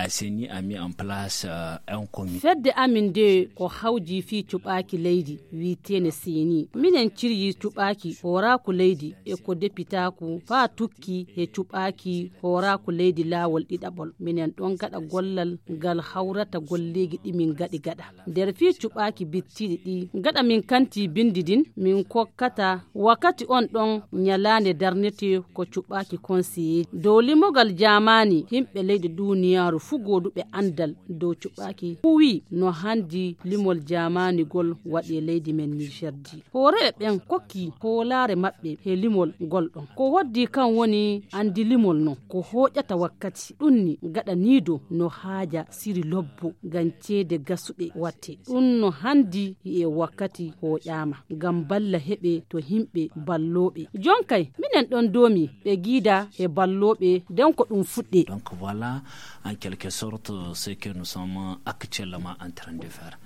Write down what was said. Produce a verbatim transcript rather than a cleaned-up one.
Assaini a mis en place un comité. Fedde amin nde ko hawji fii cuɓaaki leydi wiiteene seni. Minen ciryi cuɓaaki hooraaku leydi e ko depitaaku faa tukki he cuɓaaki hooraaku leydi laawol ɗiɗaɓol. Minen ɗon gaɗa gollal ngal hawrata golleegi ɗi min gaɗi gaɗa. Nder fii cuɓaaki bittiiɗi ɗi gaɗa min kanti binndi ndin, min kokkata wakkati on ɗon ñalaande darnete ko cuɓaaki konseye dow limogal jaamaani. Himɓe leyɗe duniyaaru fuu gooduɓe anndal dow cuɓaaki huwi no hanndi limol jaamaanigol waɗi e leydi men nigerdi. Hooreeɓe ɓen kokki hoolaare maɓɓe he limol ngol ɗon ko hoddi kan woni anndi limol non ko hooƴata wakkati ɗum ni gaɗaniido no haaja siri lobbo ngam ceede gasuɗe watte. Ɗum no hanndi e wakkati hooƴaama ngam balla heɓe to himɓe ballooɓe. Jonkay minen ɗon doomi ɓe giida he ballooɓe nden ko ɗum fuɗɗe. Donc voilà, en quelque sorte ce que nous sommes actuellement en train de faire.